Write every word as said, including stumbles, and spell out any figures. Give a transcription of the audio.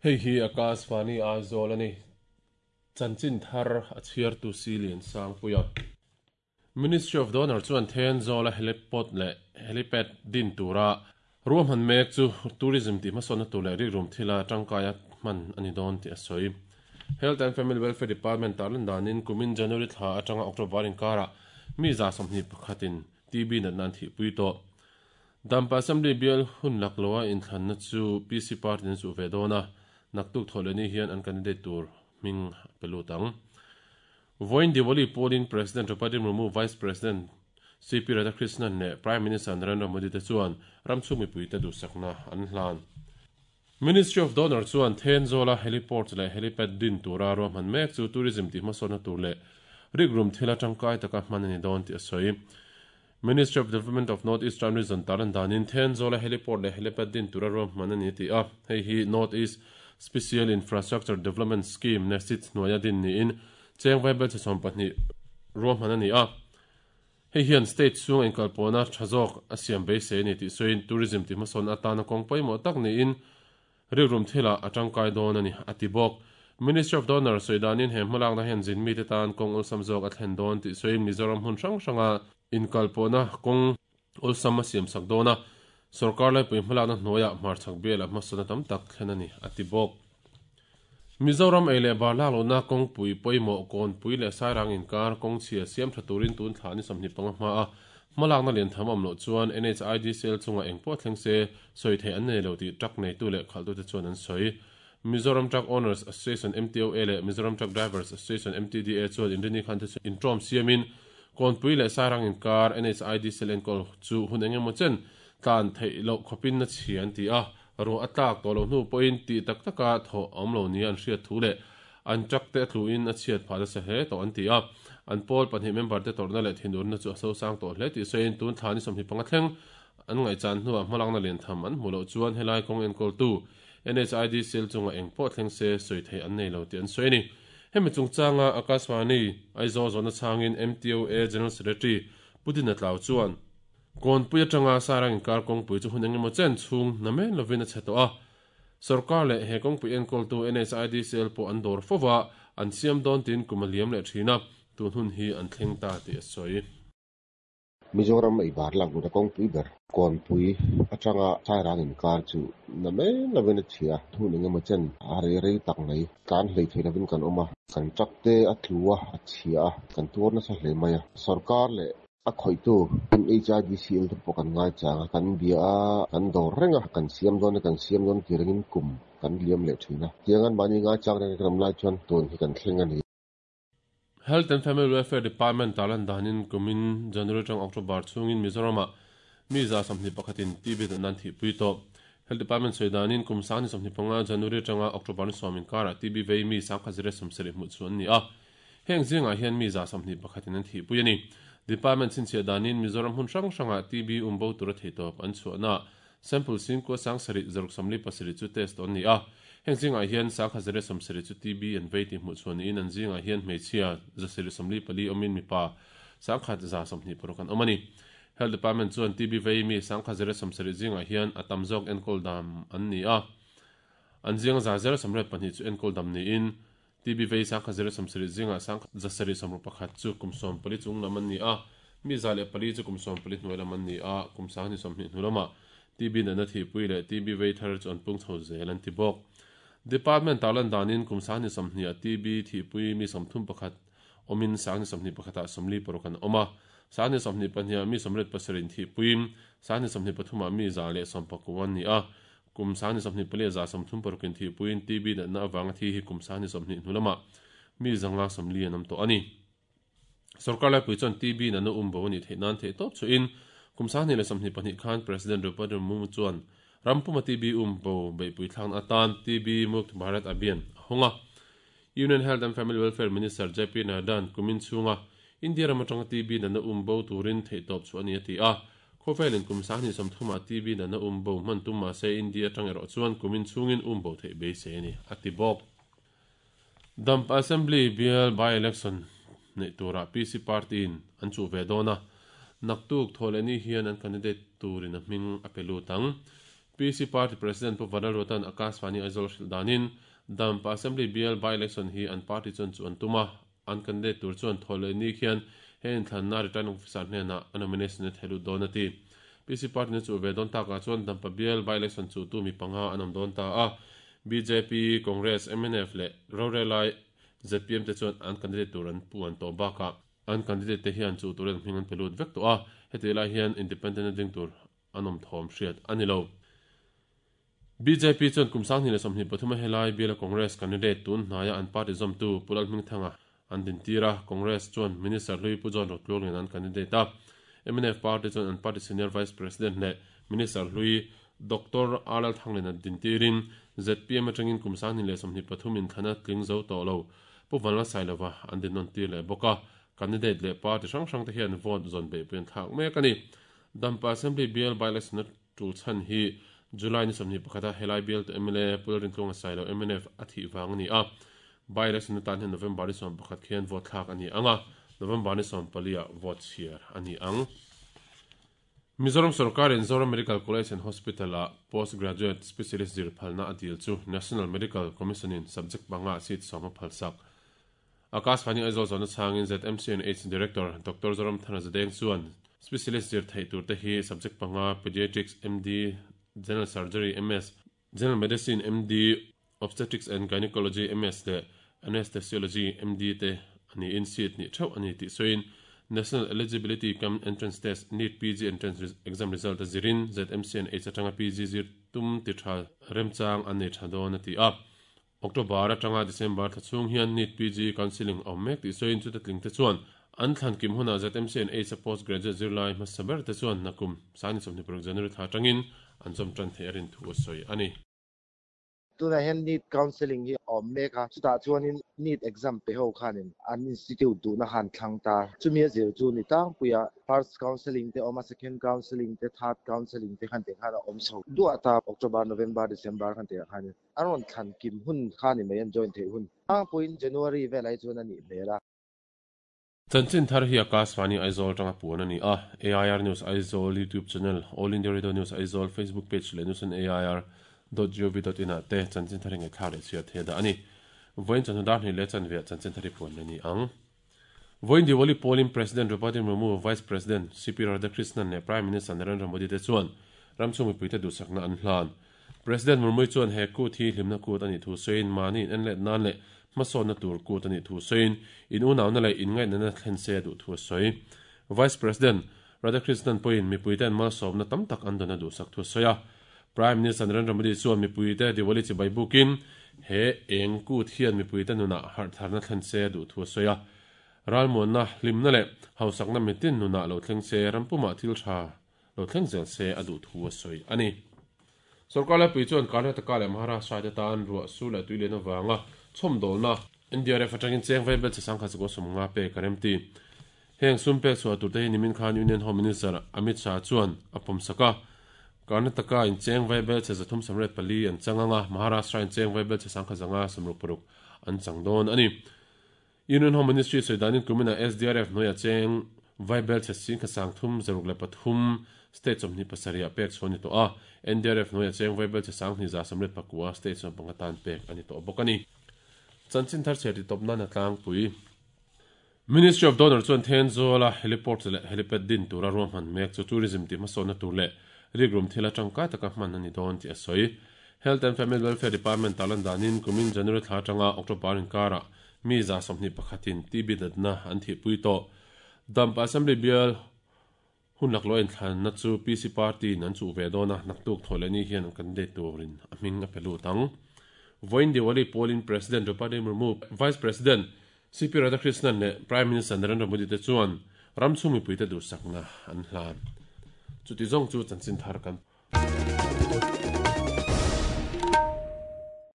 Hei hi Akashvani Aizawl a ni. Chanchin thar a chhiartu Silian Sangpuia. Ministry of Donor chuan Thenzawl a heliport leh helipad din tura ruahman mek chu tourism tih hmasawnna tur leh rikrum thila tangkaia hman a ni dawn tih a sawi. Health and Family Welfare Department tarlan danin kumin January thla atanga October inkarah mi za sawmhnih pakhatin T B natna an thihpui tawh. Dampa Assembly bial hun lakloa inthlanna chu P C Party an chuh ve dawn a, naktuk thawh leh ni hian an candidate tur hming a pe lut ang. Voin Diwali polling President Draupadi Murmu, Vice President C P Radhakrishnan leh Prime Minister Narendra Modi te chuan ramchhung mipui te duhsakna an hlan. Ministry of Donor chuan Thenzawl a heliport leh helipad din tura ruahman mek chu tourism tih hmasawnna tur leh rikrum thila tangkai taka hman a ni dawn tih a sawi. Ministry of Development of North Eastern Region taran danin Thenzawl a heliport leh helipad din tura ruahman a ni ti a, hei hi North East Special Infrastructure Development Scheme NESIDS hnuaia din niin cheng vaibel che sawm pahnih ruahman a ni a. Hei hian state chhung inkalpawhna tha zawk a siam beisei a ni tih sawiin tourism tih hmasawn atana kawng pawimawh tak niin rikrum thila a tangkai dawn a ni a ti bawk. Ministry of Donor sawi danin he hmalakna hian zin mite tan kawng awlsam zawk a thlen dawn tih sawiin Mizoram hmun hrang hranga inkalpawhna kawng awlsam a siam sak dawn a, sarkar laipui hmalakna hnuaiah hmarchhak bial a hmasawnna tam tak thlen a ni a ti bawk. Mizoram ei leh bar laklohna kawngpui pawimawh kawnpui leh sairang inkar kawng chhia siam tha turin tun thla ni sawmhnih panga hma a hmalakna lian tham awm loh chuan N H I D C L chunga engpawh thleng se sawi theih an nei lo tih truck neitu leh khalhtute chuan an sawi. Mizoram Truck Owners Association M T O A leh Mizoram Truck Drivers Association M T D A chuan inrini khan te chu intawm siamin kawnpui leh sairang inkar N H I D C L enkawl chu hun engemaw chen tlan theih loh khawpin na chhia an ti a, ro a tlak tawh lo hnu pawhin tih tak taka thaw awm lo ni an hriat thu leh an truck te a tluin a chhiat phah nasa hle tawh an ti a. An pawl pahnih member te tawrhna leh thinurna chu a sosang tawh hle tih sawiin tun thla ni sawmhnih panga thleng an ngaihchan hnuah hmalakna lian tham an hmu loh chuan helai kawng enkawltu N H I D C L chunga engpawh thleng se sawi theih an nei lo tih an sawi a ni. Hemi chungchanga Akashvani Aizawl zawhna changin M T O A General Secretary Putin a tlau chuan kawnpui atanga sairang inkar kawngpui chu hun engemaw chen chhung na men lovin a chhe tawh a. Sarkar leh he kawngpui enkawltu N H I D C L pawh an dawr fova an siam dawn tin kum a liam leh thin a, tun hun hi an thleng ta tih a sawi. Mizoram ei bar laklohna kawngpui ber kawnpui atanga sairang inkar chu na men lovin a chhia, hun engemaw chen a rei rei tak mai tlan hlei thei lovin kan awm a, kan truck te a tlu a, a chhia a, kan tuar nasa hle mai a. Sarkar leh a khawihtu N H I D C L te pawh kan ngai chang a, kan bia a, kan dawr reng a, kan siam dawn a, kan siam dawn ti rengin kum kan liam leh thin a. Tiangan mahni ngai chang reng kan awm lai chuan tun hi kan thleng a ni. Health and Family Welfare Department talan danin kumin January tang October chungin Mizorama mi za sawmhnih pakhatin T B natna an thihpui tawh. Health Department sawi danin kum sangni sawmhnih panga January tanga October ni sawm inkara T B vei mi sangkhat zira sawmsarih hmuh chu an ni a. Heng zingah hian mi za sawmhnih pakhatin an thihpui a ni. Department chinchhiah danin Mizoram hmun hrang hranga T B umbo tura theitawp an chhuahna sample singkua sangsarih zaruk sawmli pasarih chu test an ni a. Heng zingah hian sangkhat zira sawmsarih chu T B an vei tih hmuh chuan niin an zingah hian hmeichhia zasarih sawmli pali awmin mipa sangkhat za sawmhnih paruk an awm a ni. Health Department chuan T B vei mi sangkhat zira sawmsarih zingah hian a tam zawk enkawl dam an ni a. An zinga za zera sawmriat pahnih chu enkawl dam niin T B vei sangkhat zira sawmsarih zingah sangkhat zasarih sawmruk pakhat chu kum sawm pali chung lam an ni a, mi za leh pali chu kum sawm pali hnuai lam an ni a, kum sangni sawmhnih hnu lamah T B natna thihpui leh T B vei thar chu an pung chho zel an ti bawk. Department tarlan danin kum sangni sawmhnih a T B thihpui mi sawmthum pakhat awmin sangni sawmhnih pakhatah sawmli paruk an awm a, sangni sawmhnih pahnih mi sawmriat pasarih thihpuiin sangni sawmhnih pathumah mi za leh sawm pakua an ni a, kum sangni sawmhnih pali za sawmthum parukin thihpuiin T B natna awanga thi hi kum sangni sawmhnih hnu lamah mi zanga sawmli an awm tawh a ni. Sarkar laipui chuan T B natna umbo a nih theih nan theih tawp chuin kum sangni leh sawmhnih pahnih khan President Draupadi Murmu chuan rampuma T B umbo beihpui thlakna atan T B Mukt Bharat Abhiyan a hawng a. Union Health and Family Welfare Minister J P Nadda kumin chhunga India ram atanga T B natna umbo turin theih tawp chu a ni a ti a. Khawvelin kum sangni sawmthumah T B natna umbo hman tum mahse India atang erawh chuan kumin chhungin umbo theih beisei a ni a ti bawk. Dampa Assembly bial by election nei tura P C Party in an chu ve dawn a, naktuk thawh leh ni hian an candidate turin a hming a pe lut ang. P C Party President Pu Vanlalruata'n Akashvani Aizawl hrilh danin Dampa Assembly bial by-election hi an party chuan chu an tum a, an candidate tur chuan thaw leh ni khian he inthlanna returning officer hnenah a nomination a thehlut dawn a ti. P C Party na chu ve dawn takah chuan Dampa bial by-election chu tu mi panga an awm dawn ta a, B J P, Congress, M N F leh Rorelai Z P M te chuan an candidate tur an pu an tawh bakah an candidate te hian chu turin hming an pelut vek tawh a, heti lai hian independent a ding tur an awm thawm hriat a ni lo. B J P chuan kum sang hnih leh sawmhnih pathum a helai biala Congress candidate tun hnaia an party zawmtu Pu Lalhmingthanga an din tir a, Congress chuan Minister Hlui Pu John Rotluangin an candidate a, M N F party chuan an party senior vice president leh Minister Hlui Doctor R L Thanglin an din tirin Z P M atangin kum sang hnih leh sawmhnih pathum inthlana tling zo tawh lo Pu Vanla Sailova an din nawn tir leh bawk a, candidate leh party hrang hrang te hian vote zawn beih pui an thlak mek a ni. Dampa Assembly bial by-election a tul chhan hi July ni sawmhnih pakhata helai bial tu M L A Pu Lalrintluanga Sailo M N F a thih vang a ni a, by-election atan hian November ni sawm pakhat khian vote thlak a ni ang a, November ni sawm pali ah vote chhiar a ni ang. Mizoram Sarkarin Zoram Medical College and Hospital a postgraduate specialist zir phalna a dil chu National Medical Commission in subject panga seat sawm a phalsak. Akashvani Aizawl zawna changin Z M C and H Director Doctor Zoram Thana Zadeng chuan specialist zir thei tur te hi subject panga pediatrics M D, General Surgery M S, General Medicine M D, Obstetrics and Gynecology M S le Anesthesiology M D te ani in seat ni theuh ani tih sawiin National Eligibility cum Entrance Test NEET P G Entrance Exam Result a zirin Z M C and H atanga P G zir tum ti tha remchang an nei tha dawn a ti a. October atanga December thachhung hian NEET P G counselling awm mek tih sawiin chu te tling te chuan an thlan kim huna Z M C and H a postgraduate zirlai hmasa ber te chuan nakum sangni sawmhnih paruk January thla atangin an zawm tan thei a rin thu a sawi a ni. Tuna hian NEET counselling hi awm mek a, chutah chuanin NEET exam pe ho khanin an institute duhna han thlang ta. Chumi a zir chu ni tlangpuia first counselling te awm a, second counselling te, third counselling te khan te khan a awm chho duah ta October, November, December khan te khanin an rawn thlan kim hun kha ni mai an join thei hun. Tlangpuiin January velai chuan a nih hmel a. Chanchin thar hi Akashvani Aizawl tanga puan a ni a, A I R News Aizawl YouTube channel, All India Radio News Aizawl Facebook page leh news on A I R dot gov dot in ah te chanchin thar hi ngaihthla leh chhiar thei dah a ni. Vawiin chawhnu dar hnih leh chanve ah chanchin thar hi puan a ni ang. Vawiin Diwali polling President Draupadi Murmu, Vice President C P Radhakrishnan leh Prime Minister Narendra Modi te chuan ramchhung mipui te duhsakna an hlan. President Murmu chuan he kut hi hlimna kut ani thu sawiin mahni in en let nan leh hmasawnna tur kut ani thu sawiin in unauna leh in ngaihna na thlen se duh thu a sawi. Vice President Radhakrishnan pawhin mipui te an malsawmna tam tak an dawn a duhsak thu a sawi a. Prime Minister Narendra Modi chuan mipui te Diwali chibai bukin he eng kut hian mipui te nunah harhtharna thlen se duh thu a sawi a. Ralmuanna hlimna leh hausakna mitin nunah lo thleng se rampumah thil tha lo thleng zel se a duh thu a sawi a ni. Sarkar laipui chuan Karnataka leh Maharashtra te tan ruah su leh tui lian avanga chhawmdawlna N D R F atangin cheng vai bel che sangkhat chu sawm nga pek a rem ti. Heng sum pek chhuah tur te hi nimin khan Union Home Minister Amit Shah chuan a pawm sak a. Karnataka in cheng vai bel che zathum samret pali an changanga Maharashtra in cheng vai bel che sangkhat zanga samruk paruk an chang dawn a ni. Union Home Ministry sawidanin kumina S D R F hnuaia cheng vai bel che singkhat sang thum zaruk leh pathum state sawmhnih pasarih ah pek chhuah a ni tawh a, N D R F hnuaia cheng vai bel che sanghnih za samret pakua state sawm panga tan pek a ni tawh bawk a ni. Chanchin thar chhiar ti tawp nan a tlangpui. Ministry of Donor chuan Thenzawl a heliport leh helipad din tura ruahman mek chu tourism ti hmasawnna tur leh rikrum thil atangkai taka hman a ni dawn tih a sawi. Health and Family Welfare Department talan danin kumin January thla atanga October inkarah mi za sawmhnih pakhatin T B natna an thihpui tawh. Dampa Assembly bial hun laklawh inthlanna chu P C Party in an chuh ve dawn a, naktuk thaw leh ni hian an candidate turin a hming a pe lut ang. Vawiin Diwali polling President Draupadi Murmu, Vice President C P Radhakrishnan leh Prime Minister Narendra Modi te chuan ramchhung mipui te duhsakna an hlan. Chuti zawng chu chanchin thar kan.